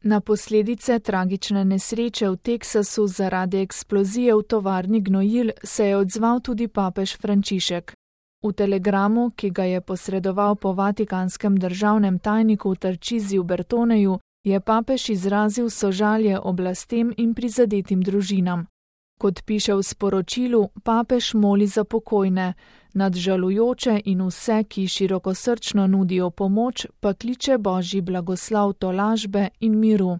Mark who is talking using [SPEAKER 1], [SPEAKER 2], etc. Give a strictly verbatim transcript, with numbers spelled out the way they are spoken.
[SPEAKER 1] Na posledice tragične nesreče v Teksasu zaradi eksplozije v tovarni gnojil se je odzval tudi papež Frančišek. V telegramu, ki ga je posredoval po vatikanskem državnem tajniku Tarčiziju Bertoneju, je papež izrazil sožalje oblastem in prizadetim družinam. Kot piše v sporočilu, papež moli za pokojne, nad žalujoče in vse, ki širokosrčno nudijo pomoč, pa kliče Božji blagoslov tolažbe in miru.